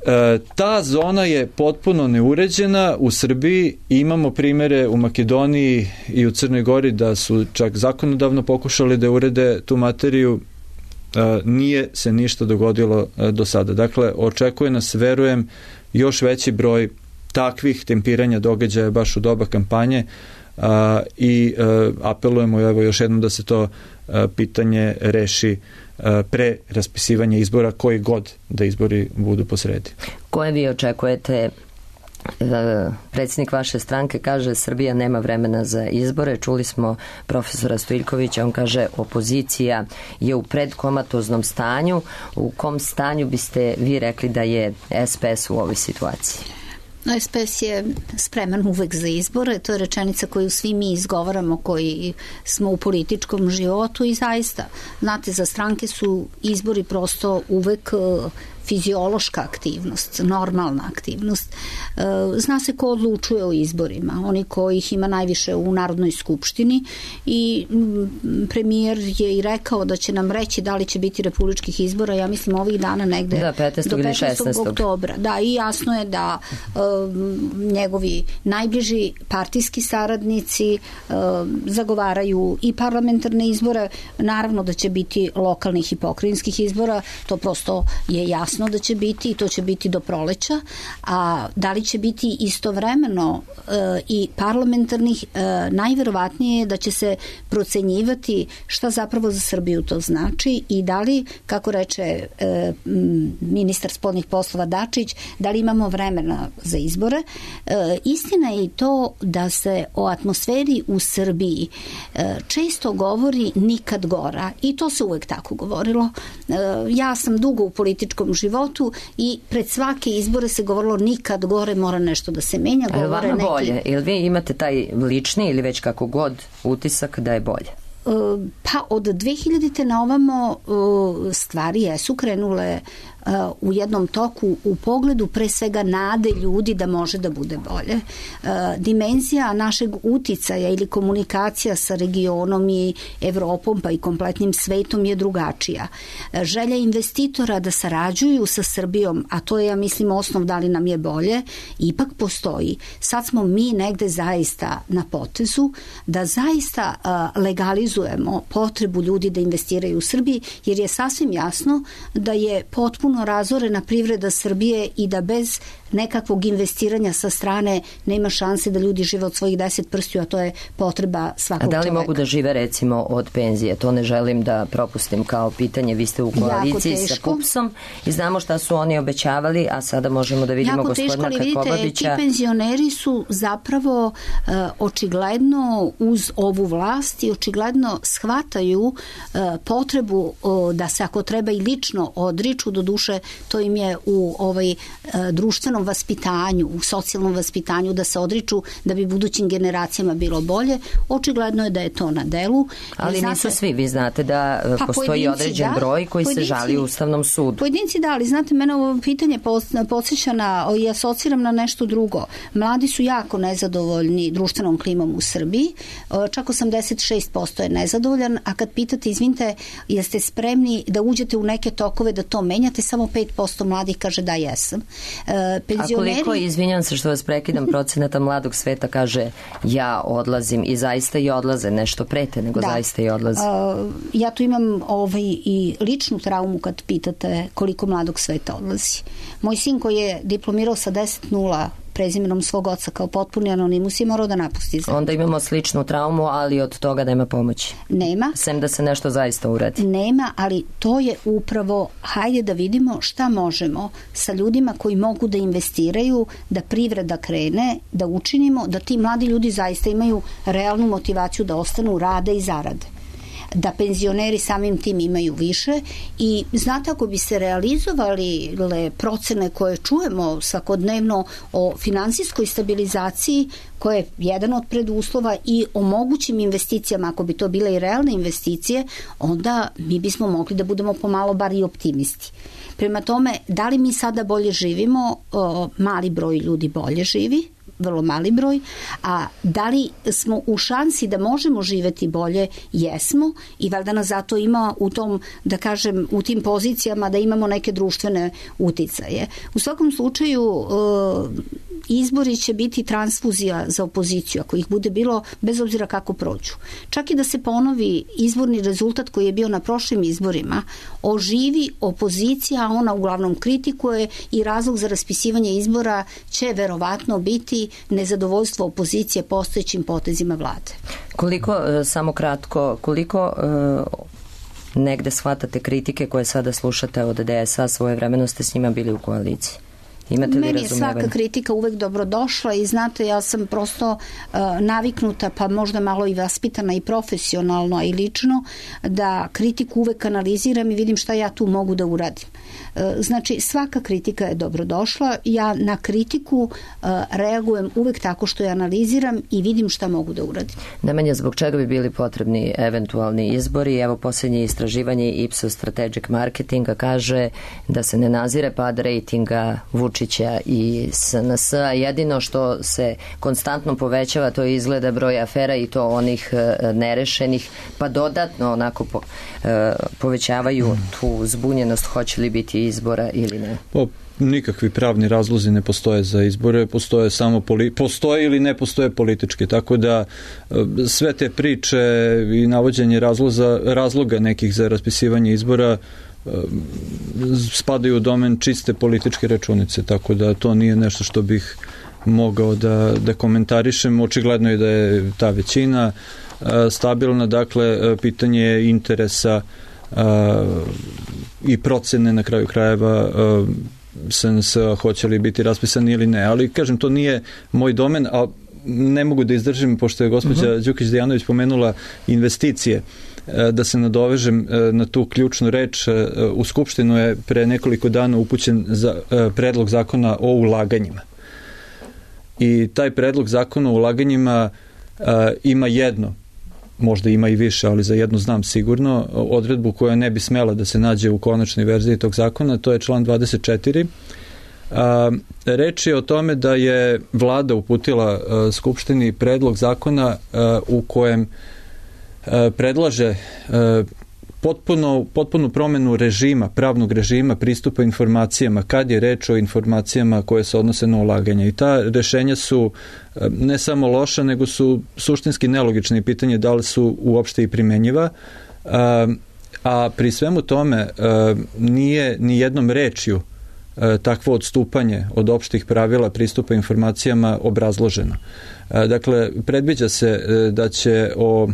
ta zona je potpuno neuređena u Srbiji. Imamo primere u Makedoniji i u Crnoj Gori da su čak zakonodavno pokušali da urede tu materiju. Nije se ništa dogodilo do sada. Dakle, očekuje nas, verujem, još veći broj takvih tempiranja događaja baš u doba kampanje i apelujemo evo još jednom da se to pitanje reši pre raspisivanja izbora, koji god da izbori budu posredi. Koje vi očekujete? Predsjednik vaše stranke kaže Srbija nema vremena za izbore. Čuli smo profesora Stojiljkovića, on kaže opozicija je u predkomatoznom stanju. U kom stanju biste vi rekli da je SPS u ovoj situaciji? SPS je spreman uvek za izbore, to je rečenica koju svi mi izgovaramo koji smo u političkom životu i zaista, znate, za stranke su izbori prosto uvek fiziološka aktivnost, normalna aktivnost. Zna se ko odlučuje o izborima, oni kojih ima najviše u Narodnoj skupštini i premijer je i rekao da će nam reći da li će biti republičkih izbora, ja mislim ovih dana negde do 15. ili 16. oktobra. Da, i jasno je da njegovi najbliži partijski saradnici zagovaraju i parlamentarne izbore, naravno da će biti lokalnih i pokrajinskih izbora, to prosto je jasno da će biti i to će biti do proleća, a da li će biti istovremeno i parlamentarnih, najverovatnije je da će se procenjivati šta zapravo za Srbiju to znači i da li, kako reče ministar spoljnih poslova Dačić, da li imamo vremena za izbore. Istina je i to da se o atmosferi u Srbiji često govori nikad gora i to se uvek tako govorilo. Ja sam dugo u političkom životu i pred svake izbore se govorilo nikad gore, mora nešto da se menja. A je vama bolje? Ili vi imate taj lični ili već kako god utisak da je bolje? Pa od 2000. na ovamo stvari jesu krenule u jednom toku u pogledu pre svega nade ljudi da može da bude bolje. Dimenzija našeg uticaja ili komunikacija sa regionom i Evropom pa i kompletnim svetom je drugačija. Želja investitora da sarađuju sa Srbijom, a to je, ja mislim, osnov da li nam je bolje, ipak postoji. Sad smo mi negde zaista na potezu da zaista legalizujemo potrebu ljudi da investiraju u Srbiji, jer je sasvim jasno da je potpuno razorena privreda Srbije i da bez nekakvog investiranja sa strane nema šanse da ljudi žive od svojih 10 prstiju, a to je potreba svakog čoveka. A da li mogu da žive recimo od penzije? To ne želim da propustim kao pitanje. Vi ste u koaliciji sa PUPS-om i znamo šta su oni obećavali, a sada možemo da vidimo gospodina Krkobabića. Ti penzioneri su zapravo očigledno uz ovu vlast i očigledno shvataju potrebu da se ako treba i lično odriču, do duše to im je u društvenom vaspitanju, u socijalnom vaspitanju da se odriču da bi budućim generacijama bilo bolje. Očigledno je da je to na delu. Ali nisu svi, vi znate da postoji određen broj koji se žali u Ustavnom sudu. Pojedinci da, ali znate, mene ovo pitanje podsjeća i asociram na nešto drugo. Mladi su jako nezadovoljni društvenom klimom u Srbiji, čak 86% je nezadovoljan, a kad pitate, izvinite, jeste spremni da uđete u neke tokove da to menjate, samo 5% mladih kaže da jesam. A koliko, izvinjam se što vas prekidam, procenata mladog sveta kaže ja odlazim i zaista i odlaze, nešto prete, nego zaista i odlaze. Ja tu imam i ličnu traumu kad pitate koliko mladog sveta odlazi. Moj sin koji je diplomirao sa 10.0 prezimenom svog oca kao potpuni anonimus je morao da napusti zemlju. Onda imamo sličnu traumu, ali od toga nema pomoći. Nema. Sem da se nešto zaista uradi. Nema, ali to je upravo, hajde da vidimo šta možemo sa ljudima koji mogu da investiraju, da privreda krene, da učinimo, da ti mladi ljudi zaista imaju realnu motivaciju da ostanu, rade i zarade. Da penzioneri samim tim imaju više i znate, ako bi se realizovali procene koje čujemo svakodnevno o finansijskoj stabilizaciji, koja je jedan od preduslova, i o mogućim investicijama, ako bi to bile i realne investicije, onda mi bismo mogli da budemo pomalo bar i optimisti. Prema tome, da li mi sada bolje živimo? Mali broj ljudi bolje živi, vrlo mali broj, a da li smo u šansi da možemo živeti bolje? Jesmo, i valjda nas zato ima u tom, da kažem, u tim pozicijama da imamo neke društvene uticaje. U svakom slučaju izbori će biti transfuzija za opoziciju, ako ih bude bilo, bez obzira kako prođu. Čak i da se ponovi izborni rezultat koji je bio na prošlim izborima, oživi opozicija, a ona uglavnom kritikuje, i razlog za raspisivanje izbora će verovatno biti nezadovoljstvo opozicije postojećim potezima vlade. Koliko, samo kratko, koliko negde shvatate kritike koje sada slušate od DS-a, svojevremeno ste s njima bili u koaliciji? Meni je svaka kritika uvek dobrodošla i znate, ja sam prosto naviknuta, pa možda malo i vaspitana i profesionalno, a i lično, da kritiku uvek analiziram i vidim šta ja tu mogu da uradim. Znači, svaka kritika je dobrodošla. Ja na kritiku reagujem uvek tako što je analiziram i vidim šta mogu da uradim. Nemanja, zbog čega bi bili potrebni eventualni izbori? Evo, posljednje istraživanje Ipsos Strategic Marketinga kaže da se ne nazire pad rejtinga Vučića i SNS, a jedino što se konstantno povećava to izgleda broj afera i to onih nerešenih, pa dodatno onako povećavaju tu zbunjenost hoće li biti izbora ili ne. Nikakvi pravni razlozi ne postoje za izbore, postoje samo postoje ili ne postoje politički, tako da sve te priče i navođenje razloga nekih za raspisivanje izbora spadaju u domen čiste političke računice, tako da to nije nešto što bih mogao da komentarišem. Očigledno je da je ta većina stabilna, dakle pitanje je interesa i procene na kraju krajeva SNS hoće li biti raspisani ili ne, ali kažem, to nije moj domen, a ne mogu da izdržim, pošto je gospođa Đukić-Dejanović pomenula investicije, da se nadovežem na tu ključnu reč. U Skupštinu je pre nekoliko dana upućen predlog zakona o ulaganjima. I taj predlog zakona o ulaganjima ima jedno, možda ima i više, ali za jednu znam sigurno, odredbu koja ne bi smela da se nađe u konačnoj verziji tog zakona, to je član 24. Reč je o tome da je vlada uputila Skupštini predlog zakona u kojem predlaže potpunu promenu režima, pravnog režima pristupa informacijama kad je reč o informacijama koje se odnose na ulaganje. I ta rešenja su ne samo loša, nego su suštinski nelogične i pitanje da li su uopšte i primenjiva. A pri svemu tome nije ni jednom rečju takvo odstupanje od opštih pravila pristupa informacijama obrazloženo. Dakle, predviđa se da će o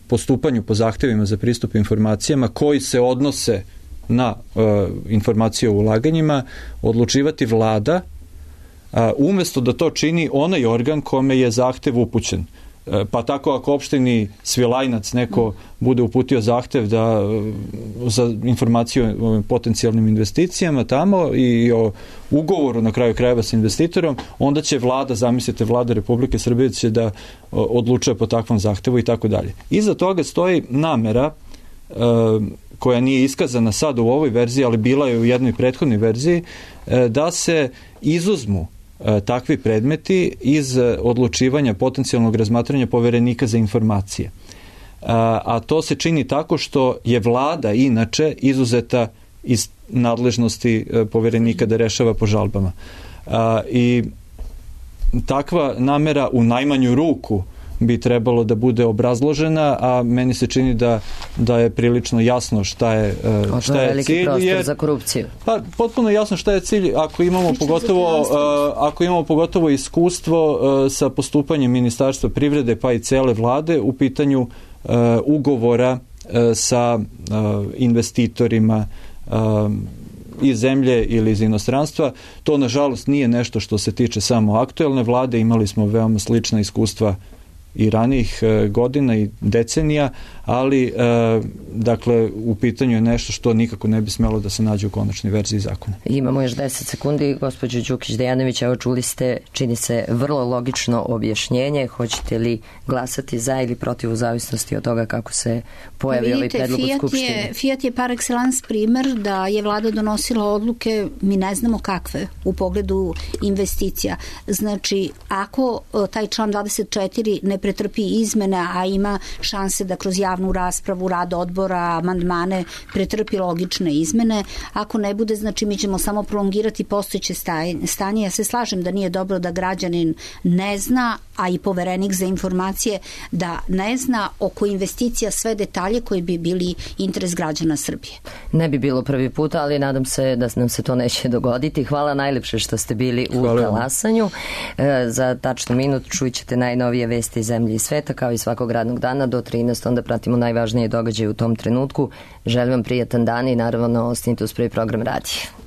postupanju po zahtevima za pristup informacijama koji se odnose na informacije o ulaganjima odlučivati vlada, umesto da to čini onaj organ kome je zahtev upućen. Pa tako ako opštini Svilajnac neko bude uputio zahtev za informaciju o potencijalnim investicijama tamo i o ugovoru na kraju krajeva sa investitorom, onda će vlada, zamislite, vlada Republike Srbije će da odlučuje po takvom zahtevu i tako dalje. Iza toga stoji namera koja nije iskazana sad u ovoj verziji, ali bila je u jednoj prethodnoj verziji, da se izuzmu takvi predmeti iz odlučivanja potencijalnog razmatranja poverenika za informacije. A to se čini tako što je vlada inače izuzeta iz nadležnosti poverenika da rešava po žalbama. I takva namera u najmanju ruku bi trebalo da bude obrazložena, a meni se čini da je prilično jasno šta je cilj. Veliki prostor za korupciju. Pa, potpuno jasno šta je cilj, ako imamo pogotovo iskustvo sa postupanjem Ministarstva privrede pa i cele vlade u pitanju ugovora sa investitorima iz zemlje ili iz inostranstva. To, nažalost, nije nešto što se tiče samo aktuelne vlade. Imali smo veoma slična iskustva i ranijih godina i decenija, ali dakle u pitanju je nešto što nikako ne bi smelo da se nađe u konačnoj verziji zakona. Imamo još 10 sekundi. Gospođo Đukić-Dejanović, evo čuli ste, čini se, vrlo logično objašnjenje. Hoćete li glasati za ili protiv u zavisnosti od toga kako se pojavi ovaj predlog u Skupštini? Fiat je par excellence primer da je vlada donosila odluke, mi ne znamo kakve, u pogledu investicija. Znači, ako taj član 24 ne pretrpi izmene, a ima šanse da kroz javnu raspravu, rad odbora, amandmane pretrpi logične izmene, ako ne bude, znači mi ćemo samo prolongirati postojeće stanje. Ja se slažem da nije dobro da građanin ne zna, a i poverenik za informacije da ne zna oko investicija sve detalje koji bi bili interes građana Srbije. Ne bi bilo prvi put, ali nadam se da nam se to neće dogoditi. Hvala najlepše što ste bili u talasanju. Za tačno minut čućete najnovije vesti iz zemlje i sveta, kao i svakog radnog dana do 13. Onda pratimo najvažnije događaje u tom trenutku. Želim vam prijatan dan i naravno ostanite uz prvi program radija.